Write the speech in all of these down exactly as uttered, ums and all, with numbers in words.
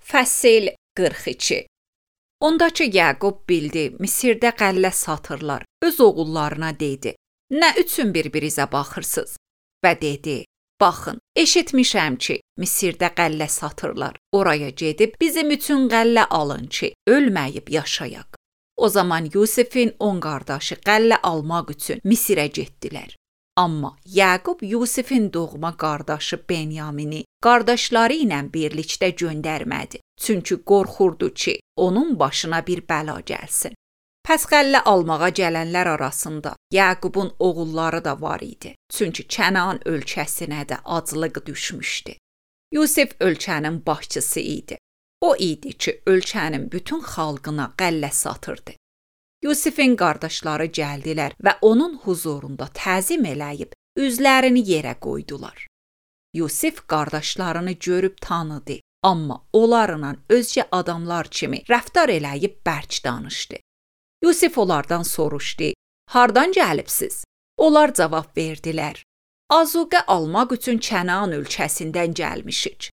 Fəsil qırx iki. Ondakı Yaqub bildi, Misirdə qəllə satırlar. Öz oğullarına dedi, nə üçün bir-birinizə baxırsınız? Və dedi, baxın, eşitmişəm ki, Misirdə qəllə satırlar. Oraya gedib bizim üçün qəllə alın ki, ölməyib yaşayaq. O zaman Yusifin on qardaşı qəllə almaq üçün Misirə getdilər. Amma Yaqub Yusifin doğma qardaşı Benyamini qardaşları ilə birlikdə göndərmədi. Çünki qorxurdu ki, onun başına bir bəla gəlsin. Pəs qəllə almağa gələnlər arasında Yaqubun oğulları da var idi. Çünki Kənan ölkəsinə də aclıq düşmüşdü. Yusif ölkənin başçısı idi. O idi ki, ölkənin bütün xalqına qəllə satırdı. Yusifin qardaşları gəldilər və onun huzurunda təzim eləyib üzlərini yerə qoydular. Yusif qardaşlarını görüb tanıdı, amma onlarla özgə adamlar kimi rəftar eləyib bərk danışdı. Yusif onlardan soruşdu, hardan gəlibsiz? Onlar cavab verdilər, azuqə almaq üçün Kənan ölkəsindən gəlmişik.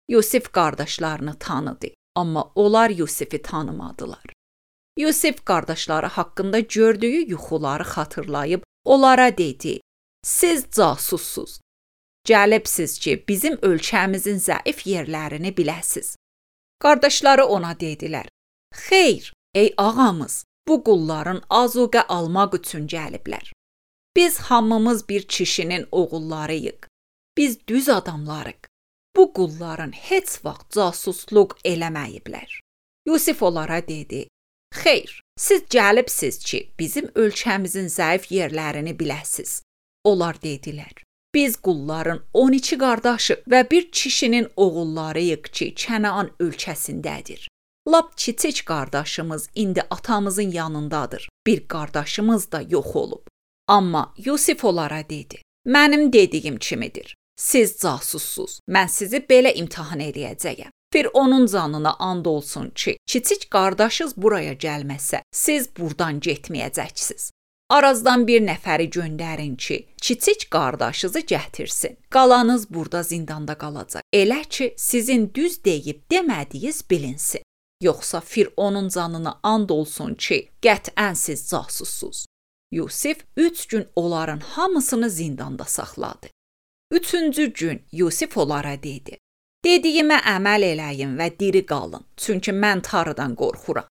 Yusif qardaşlarını tanıdı, amma onlar Yusifi tanımadılar. Yusif qardaşları haqqında gördüyü yuxuları xatırlayıb onlara dedi, siz casussuz. Gəlibsiz ki, bizim ölkəmizin zəif yerlərini biləsiz. Qardaşları ona dedilər, xeyr, ey ağamız, bu qulların azuqə almaq üçün gəliblər. Biz hamımız bir kişinin oğullarıyıq. Biz düz adamlarıq. Bu qulların heç vaxt casusluq eləməyiblər. Yusif onlara dedi, xeyr, siz gəlibsiz ki, bizim ölkəmizin zəif yerlərini biləsiz. Onlar dedilər, biz qulların on iki qardaşı və bir kişinin oğullarıyıq ki, Kənan ölkəsindədir. Lap kiçik qardaşımız indi atamızın yanındadır. Bir qardaşımız da yox olub. Amma Yusif onlara dedi, mənim dediyim kimidir. Siz casussuz, mən sizi belə imtahan eləyəcəyəm. Fironun canına and olsun ki, kiçik qardaşınız buraya gəlməsə, siz buradan getməyəcəksiniz. Arazdan bir nəfəri göndərin ki, kiçik qardaşınızı gətirsin. Qalanız burada zindanda qalacaq. Elə ki, sizin düz deyib demədiyiniz bilinsin. Yoxsa Fironun canına and olsun ki, qətən siz casussuz. Yusif üç gün onların hamısını zindanda saxladı. Üçüncü gün Yusif onlara dedi, dediyimə əməl eləyin və diri qalın, çünki mən Tanrıdan qorxuram.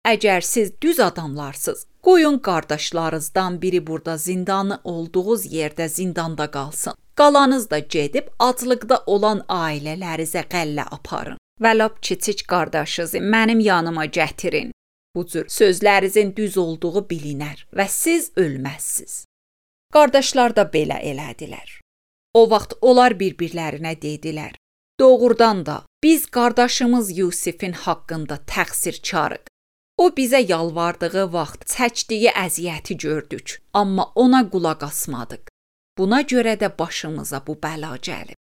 Əgər siz düz adamlarsınız, qoyun qardaşlarınızdan biri burada zindanı olduğunuz yerdə zindanda qalsın. Qalanız da gedib aclıqda olan ailələrinizə qəllə aparın və lap kiçik qardaşınızı mənim yanıma gətirin. Bu cür sözlərinizin düz olduğu bilinər və siz ölməzsiniz. Qardaşlar da belə elədilər. O vaxt onlar bir-birlərinə dedilər, doğrudan da biz qardaşımız Yusifin haqqında təqsirkarıq. O bizə yalvardığı vaxt çəkdiyi əziyyəti gördük, amma ona qulaq asmadıq. Buna görə də başımıza bu bəla gəlib.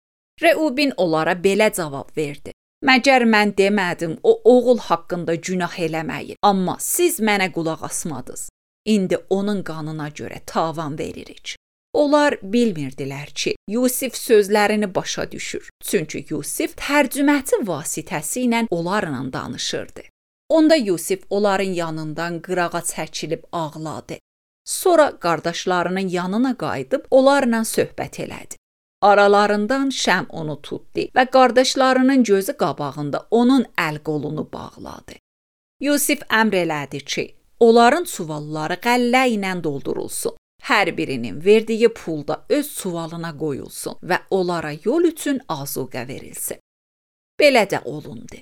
Reubin onlara belə cavab verdi. Məgər mən demədim o oğul haqqında günah eləməyin, amma siz mənə qulaq asmadınız. İndi onun qanına görə tavan veririk. Onlar bilmirdilər ki, Yusif sözlərini başa düşür. Çünki Yusif tərcüməçi vasitəsilə onlarla danışırdı. Onda Yusif onların yanından qırağa çəkilib ağladı. Sonra qardaşlarının yanına qayıdıb onlarla söhbət elədi. Aralarından Şəm onu tutdu və qardaşlarının gözü qabağında onun əl-qolunu bağladı. Yusif əmr elədi ki, onların çuvalları qəllə ilə doldurulsun. Hər birinin verdiyi pulda öz çuvalına qoyulsun və onlara yol üçün azuqə verilsin. Belə də olundu.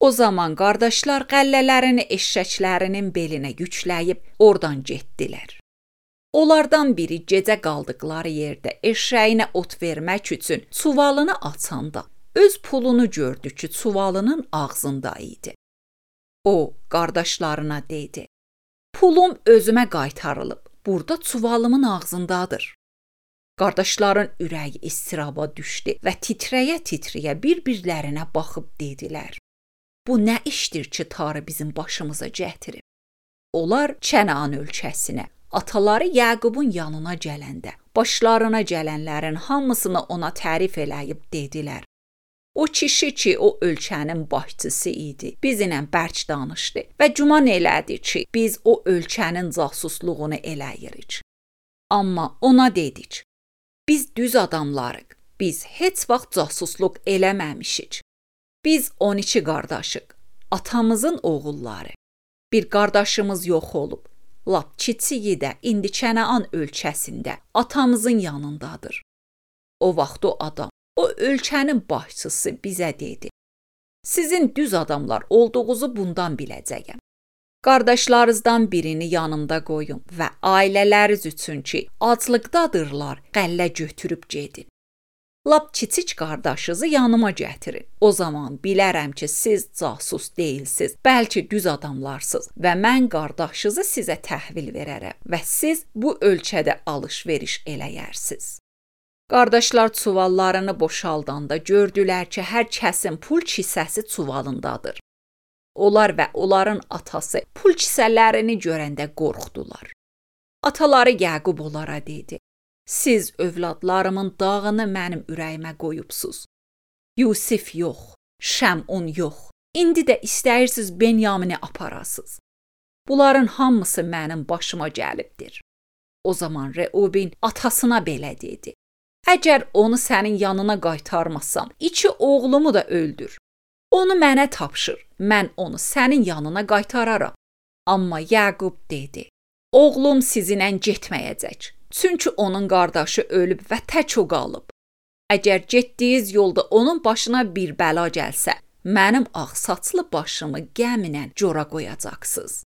O zaman qardaşlar qəllələrini eşşəklərinin belinə yükləyib oradan getdilər. Onlardan biri gecə qaldıqları yerdə eşşəyinə ot vermək üçün çuvalını açanda öz pulunu gördü ki, çuvalının ağzında idi. O, qardaşlarına dedi, pulum özümə qaytarılıb. Burada çuvalımın ağzındadır. Qardaşların ürəyi istiraba düşdü və titrəyə-titrəyə bir-birlərinə baxıb dedilər, bu nə işdir ki, Tanrı bizim başımıza gətirib? Onlar Kənan ölkəsinə, ataları Yaqubun yanına gələndə, başlarına gələnlərin hamısını ona tərif eləyib dedilər, O kişi ki, o ölkənin başçısı idi, bizlə bərk danışdı və güman elədi ki, biz o ölkənin casusluğunu eləyirik. Amma ona dedik, biz düz adamlarıq, biz heç vaxt casusluq eləməmişik. Biz on iki qardaşıq, atamızın oğulları. Bir qardaşımız yox olub, lap kiçiyi də indi Kənaan ölkəsində atamızın yanındadır. O vaxt o adam, o ölkənin başçısı bizə dedi, sizin düz adamlar olduğunuzu bundan biləcəyəm. Qardaşlarınızdan birini yanımda qoyun və ailələriniz üçün ki, aclıqdadırlar, qəllə götürüb gedin. Lap kiçik qardaşınızı yanıma gətirin. O zaman bilərəm ki, siz casus deyilsiz, bəlkə düz adamlarsınız və mən qardaşınızı sizə təhvil verərəm və siz bu ölkədə alış-veriş eləyərsiniz. Qardaşlar çuvallarını boşaldanda gördülər ki, hər kəsin pul kisəsi çuvalındadır. Onlar və onların atası pul kisələrini görəndə qorxdular. Ataları Yaqub onlara dedi, siz övladlarımın dağını mənim ürəyimə qoyubsuz. Yusif yox, Şəmun yox, indi də istəyirsiniz Benyamini aparasınız. Bunların hamısı mənim başıma gəlibdir. O zaman Reuben atasına belə dedi, əgər onu sənin yanına qaytarmasam, iki oğlumu da öldür. Onu mənə tapşır, mən onu sənin yanına qaytararam. Amma Yaqub dedi, oğlum sizinlə getməyəcək, çünki onun qardaşı ölüb və tək o qalıb. Əgər getdiyiniz yolda onun başına bir bəla gəlsə, mənim ağ saçlı başımı gəminə cora qoyacaqsınız.